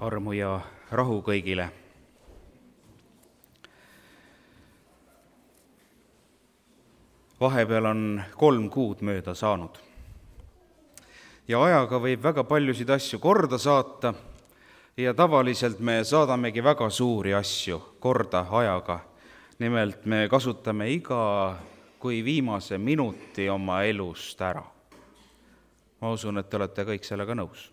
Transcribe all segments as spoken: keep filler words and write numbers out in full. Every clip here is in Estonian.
armu ja rahu kõigile. Vahepeal on kolm kuud mööda saanud ja ajaga võib väga paljusid asju korda saata ja tavaliselt me saadamegi väga suuri asju korda ajaga. Nimelt me kasutame iga kui viimase minuti oma elust ära. Ma usun, et te olete kõik sellega nõus.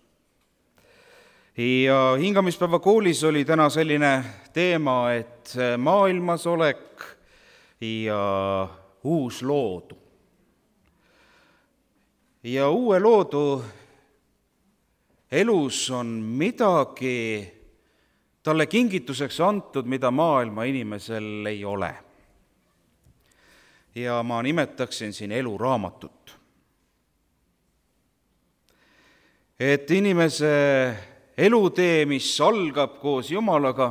Ja hingamispäeva koolis oli täna selline teema, et maailmasolek ja uus loodu. Ja uue loodu elus on midagi talle kingituseks antud, mida maailma inimesel ei ole. Ja ma nimetaksin siin eluraamatut. Et inimese elutee, mis algab koos Jumalaga,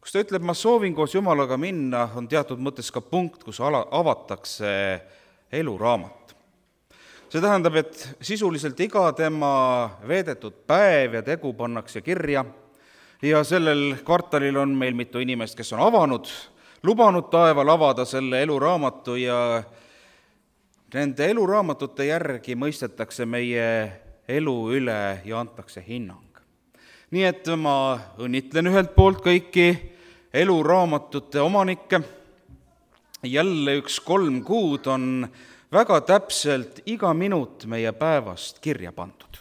kus ta ütleb, ma soovin koos Jumalaga minna, on teatud mõttes ka punkt, kus avatakse eluraamat. See tähendab, et sisuliselt iga tema veedetud päev ja tegu pannakse kirja ja sellel kvartalil on meil mitu inimest, kes on avanud, lubanud taeval avada selle eluraamatu ja nende eluraamatute järgi mõistetakse meie elu üle ja antakse hinnang. Nii et ma õnnitlen ühelt poolt kõiki eluraamatute omanikke. Jälle üks kolm kuud on väga täpselt iga minut meie päevast kirja pandud.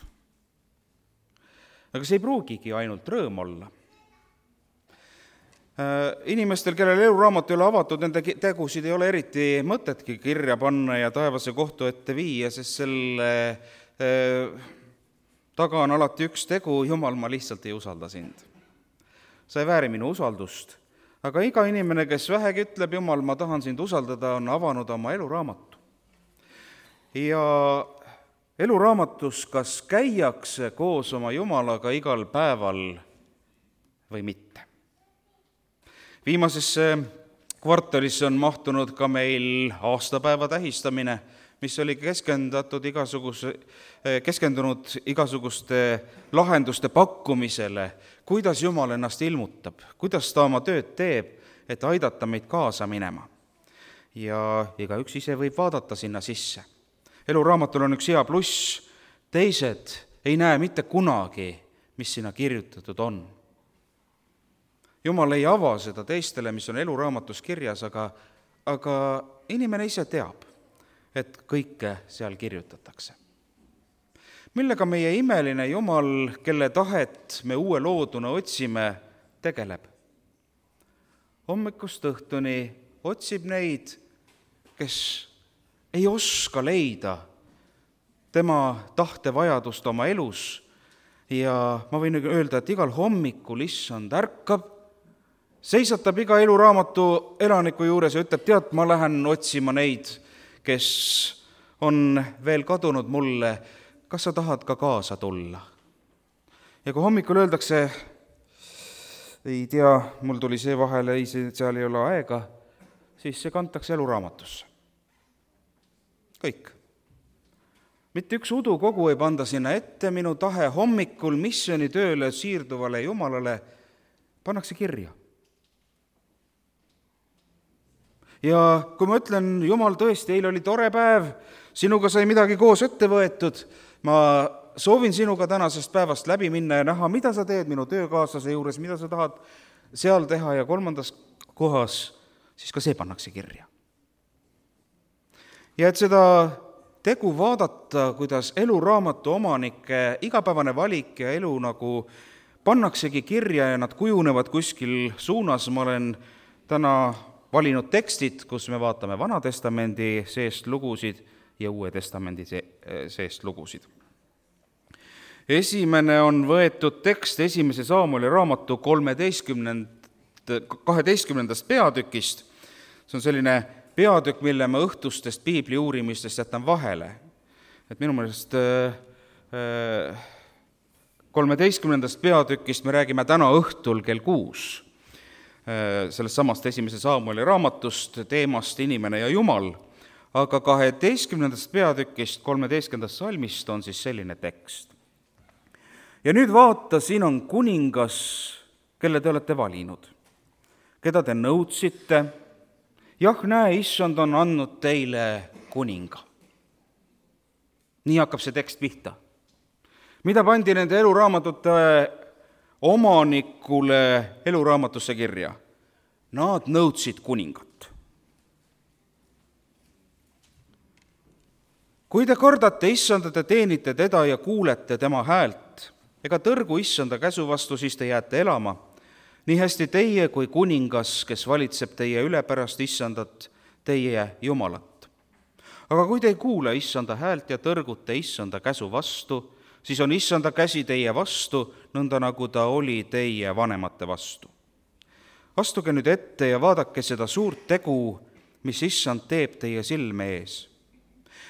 Aga see ei pruugigi ainult rõõm olla. Inimestel, kellel eluraamat ei ole avatud, nende tegusid ei ole eriti mõtetki kirja panna ja taevase kohtu ette viia, sest selle taga on alati üks tegu, Jumal, ma lihtsalt ei usalda sind. Sa ei vääri minu usaldust, aga iga inimene, kes vähegi ütleb, Jumal, ma tahan sind usaldada, on avanud oma eluraamatu. Ja eluraamatus kas käiakse koos oma Jumalaga igal päeval või mitte. Viimasesse kvartalisse on mahtunud ka meil aastapäeva tähistamine, mis oli keskendatud igasuguse, keskendunud igasuguste lahenduste pakkumisele, kuidas Jumal ennast ilmutab, kuidas ta oma tööd teeb, et aidata meid kaasa minema. Ja igaüks ise võib vaadata sinna sisse. Eluraamatul on üks hea pluss, teised ei näe mitte kunagi, mis sinna kirjutatud on. Jumal ei ava seda teistele, mis on eluraamatus kirjas, aga, aga inimene ise teab, et kõike seal kirjutatakse. Millega meie imeline Jumal, kelle tahet me uue looduna otsime, tegeleb? Hommikust õhtuni otsib neid, kes ei oska leida tema tahtevajadust oma elus ja ma võin öelda, et igal hommikul issand ärkab, seisatab iga eluraamatu elaniku juures ja ütleb, tead, ma lähen otsima neid, kes on veel kadunud mulle, kas sa tahad ka kaasa tulla? Ja kui hommikul öeldakse, ei tea, mul tuli see vahele, ei, seal ei ole aega, siis see kantakse eluraamatusse. Kõik. Mitte üks udukogu ei panda sinna ette, minu tahe hommikul missioonitööle siirduvale Jumalale pannakse kirja. Ja kui ma ütlen, Jumal, tõesti, eile oli tore päev, sinuga sai midagi koos ette võetud, ma soovin sinuga tänasest päevast läbi minna ja näha, mida sa teed minu töökaaslase juures, mida sa tahad seal teha ja kolmandas kohas, siis ka see pannakse kirja. Ja et seda tegu vaadata, kuidas eluraamatu omanike igapäevane valik ja elu nagu pannaksegi kirja ja nad kujunevad kuskil suunas, ma olen täna valinud tekstid, kus me vaatame Vana Testamendi seest lugusid ja Uue Testamendi seest lugusid. Esimene on võetud tekst esimese Saamueli raamatu kaheteistkümnendast peatükist. See on selline peatükk, mille ma õhtustest piibli uurimistest jätan vahele. Et minu meelest kolmeteistkümnendast peatükist me räägime täna õhtul kell kuus. Sellest samast esimese Saamueli raamatust, teemast Inimene ja Jumal. Aga kaheteistkümnendast peatükist kolmeteistkümnendast salmist on siis selline tekst. ja nüüd vaata, siin on kuningas, kelle te olete valinud, keda te nõudsite. Jah, näe, issand on andnud teile kuninga. Nii hakkab see tekst pihta. Mida pandi nende eluraamatute omanikule eluraamatusse kirja? Nad nõudsid kuningat. Kui te kardate issanda, te teenite teda ja kuulete tema häält, ega tõrgu issanda käsu vastu, siis te jääte elama. Nii hästi teie kui kuningas, kes valitseb teie üle pärast issandat, teie Jumalat. Aga kui te ei kuule issanda häält ja tõrgute issanda käsu vastu, siis on issanda käsi teie vastu, nõnda nagu ta oli teie vanemate vastu. Astuge nüüd ette ja vaadake seda suurt tegu, mis issand teeb teie silme ees.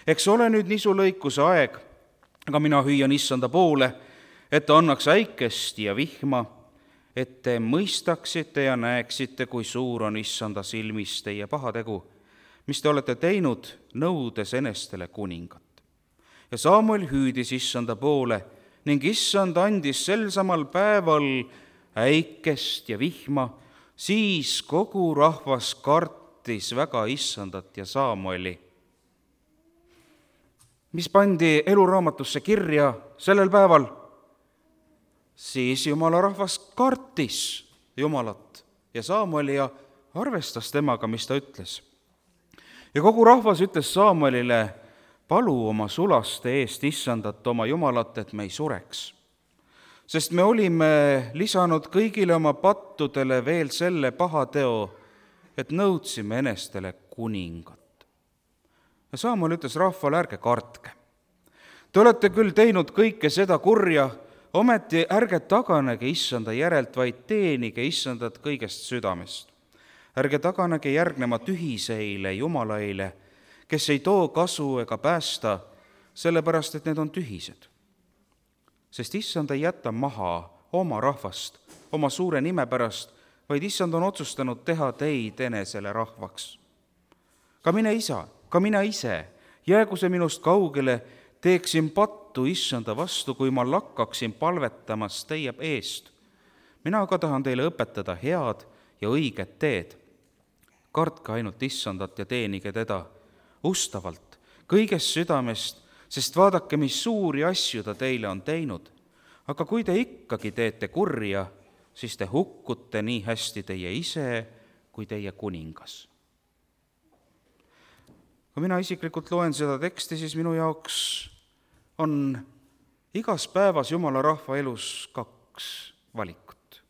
Eks ole nüüd nisulõikuse aeg, aga mina hüüan issanda poole, et ta annaks äikest ja vihma, et te mõistaksite ja näeksite, kui suur on issanda silmis teie pahategu, mis te olete teinud, nõudes enestele kuningat. Ja Samuel hüüdis issanda poole ning issand andis sel samal päeval äikest ja vihma, siis kogu rahvas kartis väga issandat ja Samueli. Mis pandi eluraamatusse kirja sellel päeval? Siis Jumala rahvas kartis Jumalat ja Samueli ja arvestas temaga, mis ta ütles. Ja kogu rahvas ütles Samuelile, palu oma sulaste eest issandat oma Jumalat, et me ei sureks. Sest me olime lisanud kõigile oma pattudele veel selle pahateo, et nõudsime enestele kuningat. Ja Samuel ütles rahvale, ärge kartke. Te olete küll teinud kõike seda kurja, ometi ärge taganege issanda järelt, vaid teenige issandat kõigest südamest. Ärge taganege järgnema tühiseile jumalaile, kes ei too kasu ega päästa, sellepärast et need on tühised. Sest issand ei jäta maha oma rahvast, oma suure nime pärast, vaid issand on otsustanud teha teid enesele rahvaks. Ka mine isa, ka mina ise, jäägu see minust kaugele, teeksin pattu issanda vastu, kui ma lakkaksin palvetamas teie eest. Mina aga tahan teile õpetada head ja õiget teed. Kartke ainult issandat ja teenige teda ustavalt, kõigest südamest, sest vaadake, mis suuri asju ta teile on teinud. Aga kui te ikkagi teete kurja, siis te hukkute nii hästi teie ise kui teie kuningas. Kui mina isiklikult loen seda teksti, siis minu jaoks on igas päevas Jumala rahva elus kaks valikut.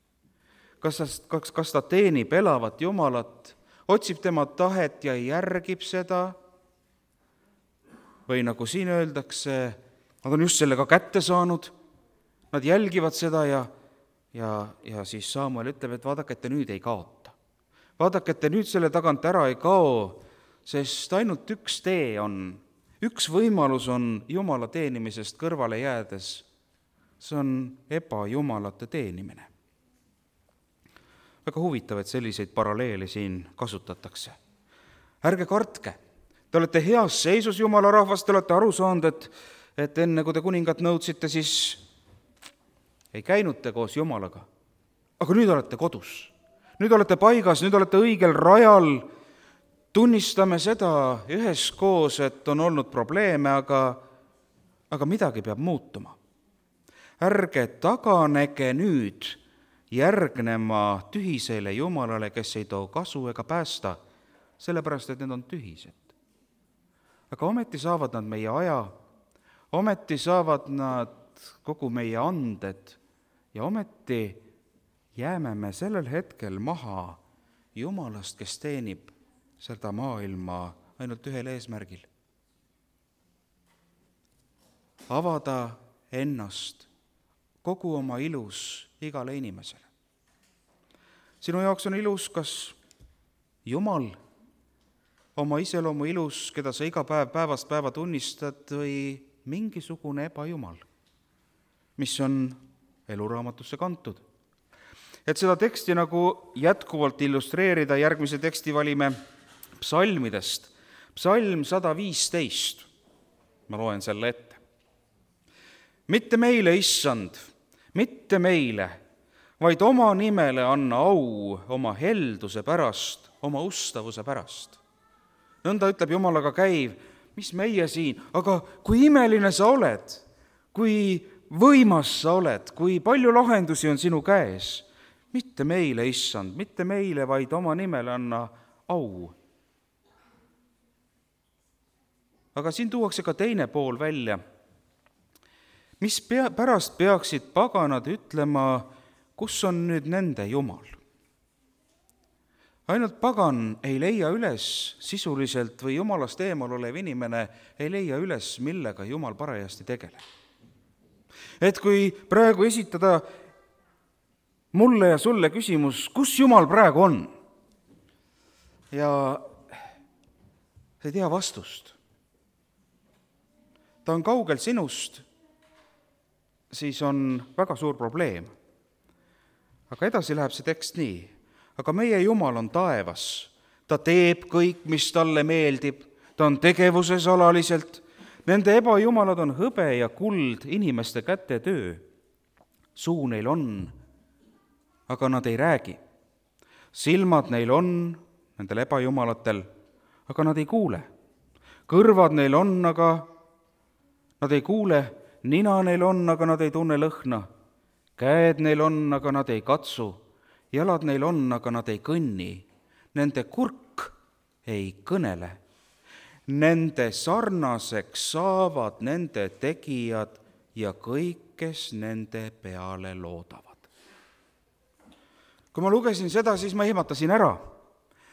Kas ta, kas, kas ta teenib elavat Jumalat, otsib tema tahet ja järgib seda, või nagu siin öeldakse, nad on just sellega kätte saanud, nad jälgivad seda ja, ja, ja siis Samuel ütleb, et vaadake, et te nüüd ei kaota. Vaadake, et te nüüd selle tagant ära ei kao, sest ainult üks tee on, üks võimalus on Jumala teenimisest kõrvale jäädes, see on ebajumalate teenimine. Väga huvitav, et selliseid paralleele siin kasutatakse. Ärge kartke, te olete heas seisus Jumala rahvast, te olete aru saanud, et, et enne kui te kuningat nõudsite, siis ei käinud te koos Jumalaga. Aga nüüd olete kodus, nüüd olete paigas, nüüd olete õigel rajal. Tunnistame seda üheskoos, et on olnud probleeme, aga, aga midagi peab muutuma. Ärge taganege nüüd järgnema tühisele Jumalale, kes ei too kasu ega päästa, sellepärast, et need on tühised. Aga ometi saavad nad meie aja, ometi saavad nad kogu meie anded ja ometi jääme me sellel hetkel maha Jumalast, kes teenib seda maailma ainult ühel eesmärgil. Avada ennast kogu oma ilus igale inimesele. Sinu jaoks on ilus kas Jumal, oma iseloomu ilus, keda sa iga päev päevast päeva tunnistad, või mingisugune ebajumal, mis on eluraamatusse kantud. Et seda teksti nagu jätkuvalt illustreerida, järgmise teksti valime psalmidest. Psalm sada viisteist, ma loen selle ette. Mitte meile, issand, mitte meile, vaid oma nimele anna au oma helduse pärast, oma ustavuse pärast. Nõnda ütleb Jumalaga käiv, mis meie siin, aga kui imeline sa oled, kui võimas sa oled, kui palju lahendusi on sinu käes. Mitte meile, issand, mitte meile, vaid oma nimele anna au. Aga siin tuuakse ka teine pool välja. Mis pea, pärast peaksid paganad ütlema, kus on nüüd nende Jumal? Ainult pagan ei leia üles sisuliselt või Jumalast eemal olev inimene ei leia üles, millega Jumal parajasti tegeleb. Et kui praegu esitada mulle ja sulle küsimus, kus Jumal praegu on? Ja sa ei tea vastust. Ta on kaugel sinust, siis on väga suur probleem. Aga edasi läheb see tekst nii. Aga meie Jumal on taevas. Ta teeb kõik, mis talle meeldib. Ta on tegevuses alaliselt. Nende ebajumalad on hõbe ja kuld, inimeste käte töö. Suu neil on, aga nad ei räägi. Silmad neil on, nendel ebajumalatel, aga nad ei kuule. Kõrvad neil on, aga nad ei kuule. Nina neil on, aga nad ei tunne lõhna. Käed neil on, aga nad ei katsu. Jalad neil on, aga nad ei kõnni. Nende kurk ei kõnele. Nende sarnaseks saavad nende tegijad ja kõik, kes nende peale loodavad. Kui ma lugesin seda, siis ma ihmatasin ära.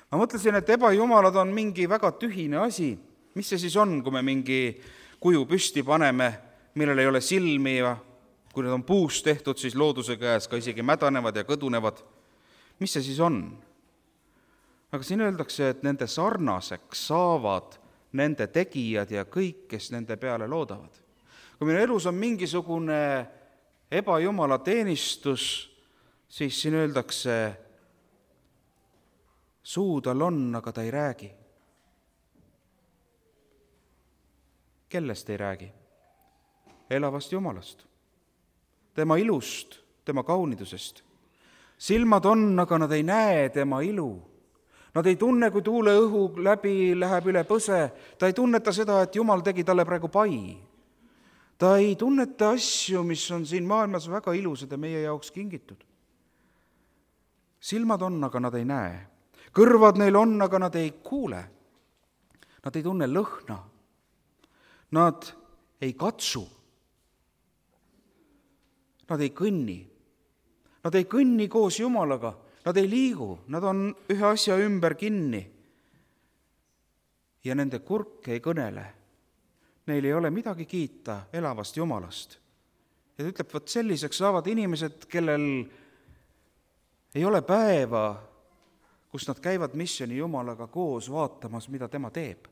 Ma mõtlesin, et ebajumalad on mingi väga tühine asi. Mis see siis on, kui me mingi kuju püsti paneme, millel ei ole silmi ja kui need on puust tehtud, siis looduse käes ka isegi mädanevad ja kõdunevad. Mis see siis on? Aga siin öeldakse, et nende sarnaseks saavad nende tegijad ja kõik, kes nende peale loodavad. Kui meil elus on mingisugune ebajumala teenistus, siis siin öeldakse, suu tal on, aga ta ei räägi. Kellest ei räägi? Elavast Jumalast. Tema ilust, tema kaunidusest. Silmad on, aga nad ei näe tema ilu. Nad ei tunne, kui tuule õhu läbi läheb üle põse. Ta ei tunneta seda, et Jumal tegi talle praegu pai. Ta ei tunneta asju, mis on siin maailmas väga ilusad ja meie jaoks kingitud. Silmad on, aga nad ei näe. Kõrvad neil on, aga nad ei kuule. Nad ei tunne lõhna. Nad ei katsu. Nad ei kõnni. Nad ei kõnni koos Jumalaga. Nad ei liigu, nad on ühe asja ümber kinni. Ja nende kurk ei kõnele. Neil ei ole midagi kiita elavast Jumalast. Ja ta ütleb, et selliseks saavad inimesed, kellel ei ole päeva, kus nad käivad missiooni Jumalaga koos vaatamas, mida tema teeb.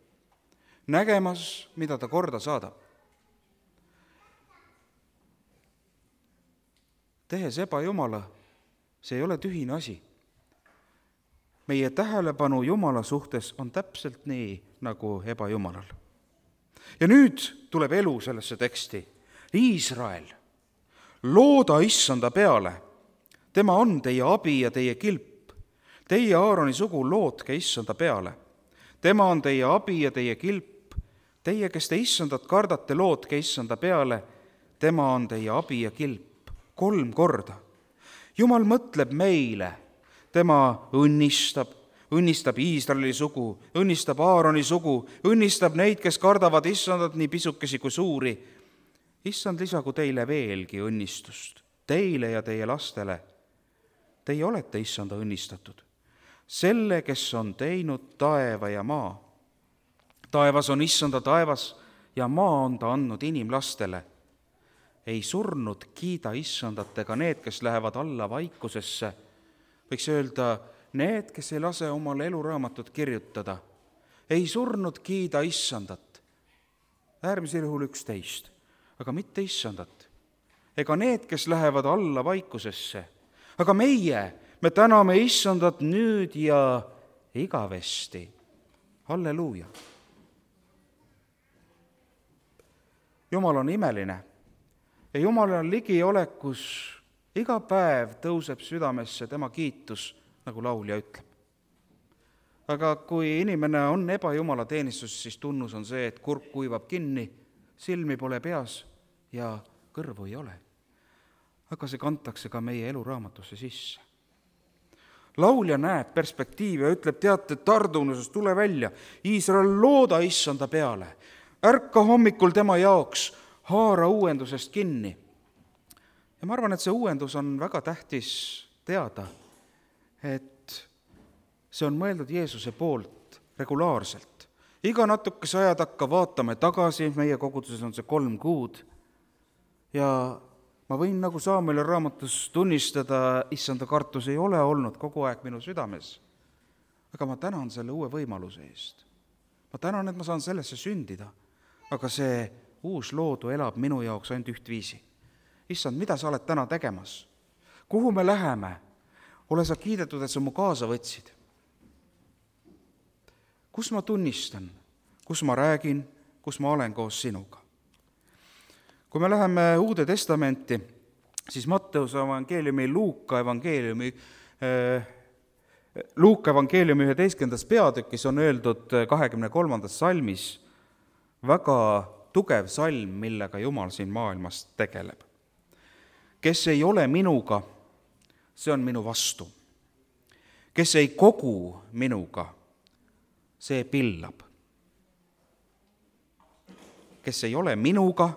Nägemas, mida ta korda saadab. Tehes ebajumala, see ei ole tühine asi. Meie tähelepanu Jumala suhtes on täpselt nii, nagu ebajumalal. Ja nüüd tuleb elu sellesse teksti. Iisrael, looda issanda peale. Tema on teie abi ja teie kilp. Teie Aaroni sugu lootke issanda peale. Tema on teie abi ja teie kilp. Teie, kes te issandat kardate, lootke issanda peale. Tema on teie abi ja kilp. Kolm korda. Jumal mõtleb meile, tema õnnistab, õnnistab Iisraeli sugu, õnnistab Aaroni sugu, õnnistab neid, kes kardavad issandat nii pisukesi kui suuri. Issand lisagu teile veelgi õnnistust, teile ja teie lastele. Teie olete issanda õnnistatud, selle, kes on teinud taeva ja maa. Taevas on issanda taevas ja maa on ta andnud inimlastele. Ei surnud kiida issandat ega need, kes lähevad alla vaikusesse. Võiks öelda, need, kes ei lase omal eluraamatut kirjutada. Ei surnud kiida issandat. Äärmisel juhul üksteist, aga mitte issandat. Ega need, kes lähevad alla vaikusesse. Aga meie, me täname issandat nüüd ja igavesti. Halleluuja. Jumal on imeline. Ja Jumal on ligiolekus iga päev tõuseb südamesse tema kiitus, nagu laulja ütleb. Aga kui inimene on ebajumala teenistus, siis tunnus on see, et kurk kuivab kinni, silmi pole peas ja kõrvu ei ole. Aga see kantakse ka meie eluraamatusse sisse. Laulja näeb perspektiivi ja ütleb, teate, tardunuses tule välja, Iisrael, looda issanda peale, ärka hommikul tema jaoks, haara uuendusest kinni. Ja ma arvan, et see uuendus on väga tähtis teada, et see on mõeldud Jeesuse poolt regulaarselt. Iga natukese aja takka vaatame tagasi, meie koguduses on see kolm kuud, ja ma võin nagu Saameli raamatus tunnistada, issanda kartus ei ole olnud kogu aeg minu südames. Aga ma tänan selle uue võimaluse eest. Ma tänan, et ma saan sellesse sündida. Aga see uus loodu elab minu jaoks ainult ühtviisi. Issand, mida sa oled täna tegemas? Kuhu me läheme? Ole sa kiidetud, et sa mu kaasa võtsid. Kus ma tunnistan? Kus ma räägin? Kus ma olen koos sinuga? Kui me läheme Uude Testamenti, siis Matteuse evangeeliumi, Luuka evangeeliumi, Luuka evangeeliumi üheteistkümnendas peatükis on öeldud kahekümne kolmandas salmis väga tugev salm, millega Jumal siin maailmas tegeleb. Kes ei ole minuga, see on minu vastu. Kes ei kogu minuga, see pillab. Kes ei ole minuga,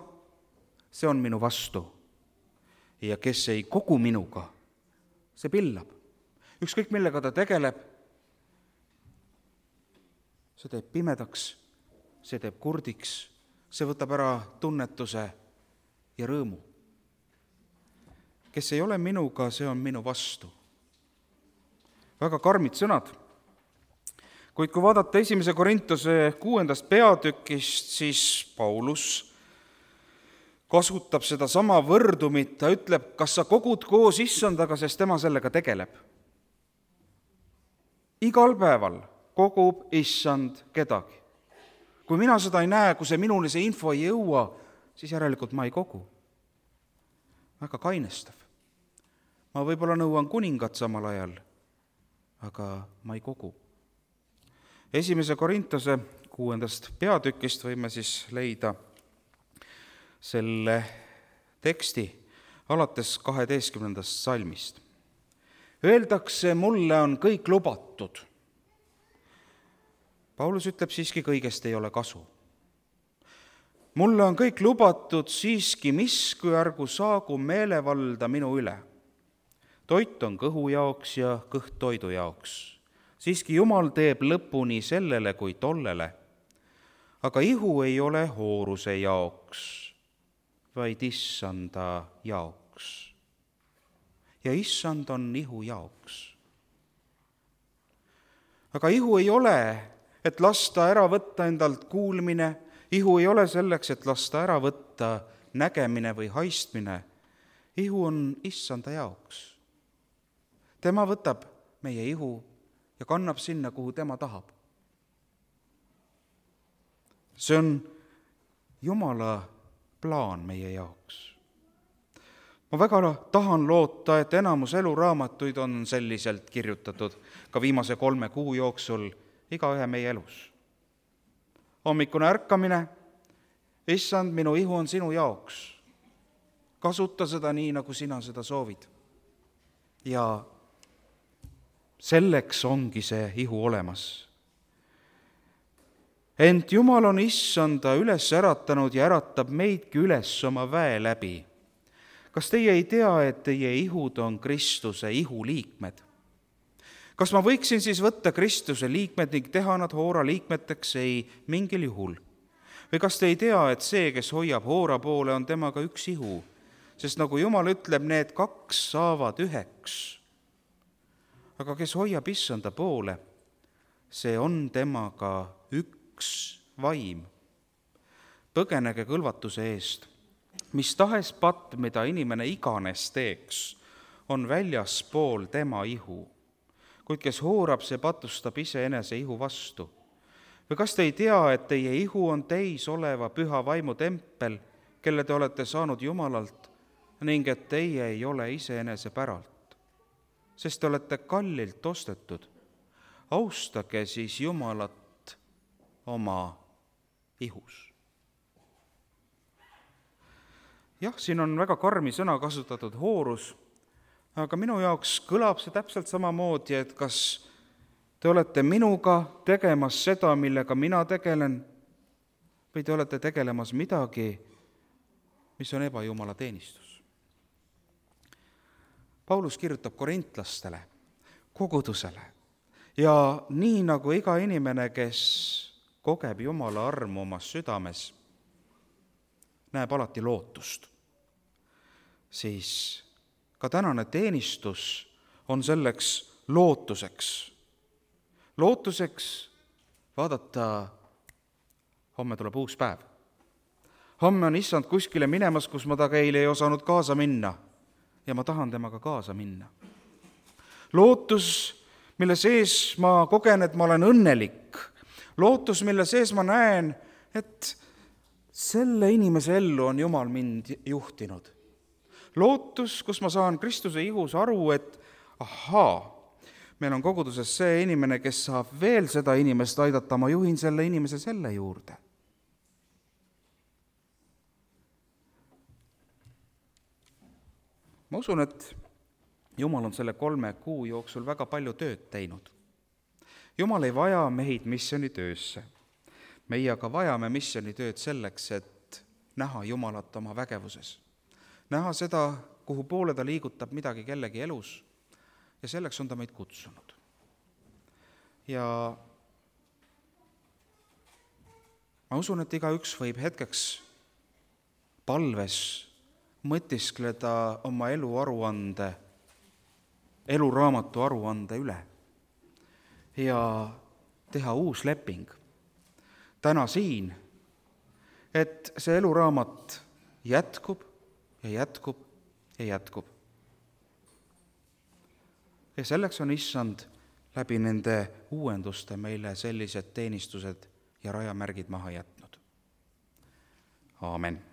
see on minu vastu. Ja kes ei kogu minuga, see pillab. Ükskõik millega ta tegeleb, see teeb pimedaks, see teeb kurdiks, see võtab ära tunnetuse ja rõõmu. Kes ei ole minuga, see on minu vastu. Väga karmid sõnad. Kuid kui vaadata esimese Korintuse kuuendast peatükist, siis Paulus kasutab seda sama võrdumit, ta ütleb, kas sa kogud koos issandaga, sest tema sellega tegeleb. Igal päeval kogub issand kedagi. Kui mina seda ei näe, kui see minuni see info ei jõua, siis järelikult ma ei kogu. Väga kainestav. Ma võib-olla nõuan kuningat samal ajal, aga ma ei kogu. Esimese Korintuse kuuendast peatükist võime siis leida selle teksti alates kaheteistkümnendast salmist. Öeldakse, mulle on kõik lubatud. Paulus ütleb, siiski kõigest ei ole kasu. Mulle on kõik lubatud, siiski miski ärgu saagu meelevalda minu üle. Toit on kõhu jaoks ja kõht toidu jaoks. Siiski Jumal teeb lõpuni sellele kui tollele. Aga ihu ei ole hooruse jaoks, vaid issanda jaoks. Ja issand on ihu jaoks. Aga ihu ei ole, et lasta ära võtta endalt kuulmine, ihu ei ole selleks, et lasta ära võtta nägemine või haistmine. Ihu on issanda jaoks. Tema võtab meie ihu ja kannab sinna, kuhu tema tahab. See on Jumala plaan meie jaoks. Ma väga tahan loota, et enamus eluraamatuid on selliselt kirjutatud ka viimase kolme kuu jooksul iga ühe meie elus. Hommikune ärkamine, issand, minu ihu on sinu jaoks. Kasuta seda nii, nagu sina seda soovid. Ja selleks ongi see ihu olemas. Ent Jumal on issanda üles äratanud ja äratab meidki üles oma väe läbi. Kas teie ei tea, et teie ihud on Kristuse ihuliikmed? Kas ma võiksin siis võtta Kristuse liikmed ning teha nad hoora liikmeteks? Ei mingil juhul. Või kas te ei tea, et see, kes hoiab hoora poole, on temaga üks ihu? Sest nagu Jumal ütleb, need kaks saavad üheks. Aga kes hoiab issanda poole, see on temaga üks vaim. Põgenege kõlvatuse eest. Mis tahes patt, mida inimene iganes teeks, on väljaspool tema ihu. Kuid kes hoorab, see patustab iseenese ihu vastu. Või kas te ei tea, et teie ihu on teis oleva püha vaimu tempel, kelle te olete saanud Jumalalt, ning et teie ei ole iseenese päralt, sest te olete kallilt ostetud. Austage siis Jumalat oma ihus. Jah, siin on väga karmi sõna kasutatud, hoorus, aga minu jaoks kõlab see täpselt samamoodi, et kas te olete minuga tegemas seda, millega mina tegelen, või te olete tegelemas midagi, mis on ebajumala teenistus. Paulus kirjutab korintlastele, kogudusele, ja nii nagu iga inimene, kes kogeb Jumala armu omas südames, näeb alati lootust, siis ka tänane teenistus on selleks lootuseks. Lootuseks vaadata, homme tuleb uus päev. Homme on issand kuskile minemas, kus ma taga eile ei osanud kaasa minna ja ma tahan temaga kaasa minna. Lootus, mille sees ma kogen, et ma olen õnnelik. Lootus, mille sees ma näen, et selle inimese ellu on Jumal mind juhtinud. Lootus, kus ma saan Kristuse ihus aru, et ahaa, meil on koguduses see inimene, kes saab veel seda inimest aidata, ma juhin selle inimese selle juurde. Ma usun, et Jumal on selle kolme kuu jooksul väga palju tööd teinud. Jumal ei vaja meid missionitöösse. Meie aga vajame missionitööd selleks, et näha Jumalat oma vägevuses. Näha seda, kuhu poole ta liigutab midagi kellegi elus, ja selleks on ta meid kutsunud. Ja ma usun, et igaüks võib hetkeks palves mõtiskleda oma elu aruande, eluraamatu aruande üle ja teha uus leping täna siin, et see eluraamat jätkub ja jätkub ja jätkub. Ja selleks on issand läbi nende uuenduste meile sellised teenistused ja rajamärgid maha jätnud. Aamen.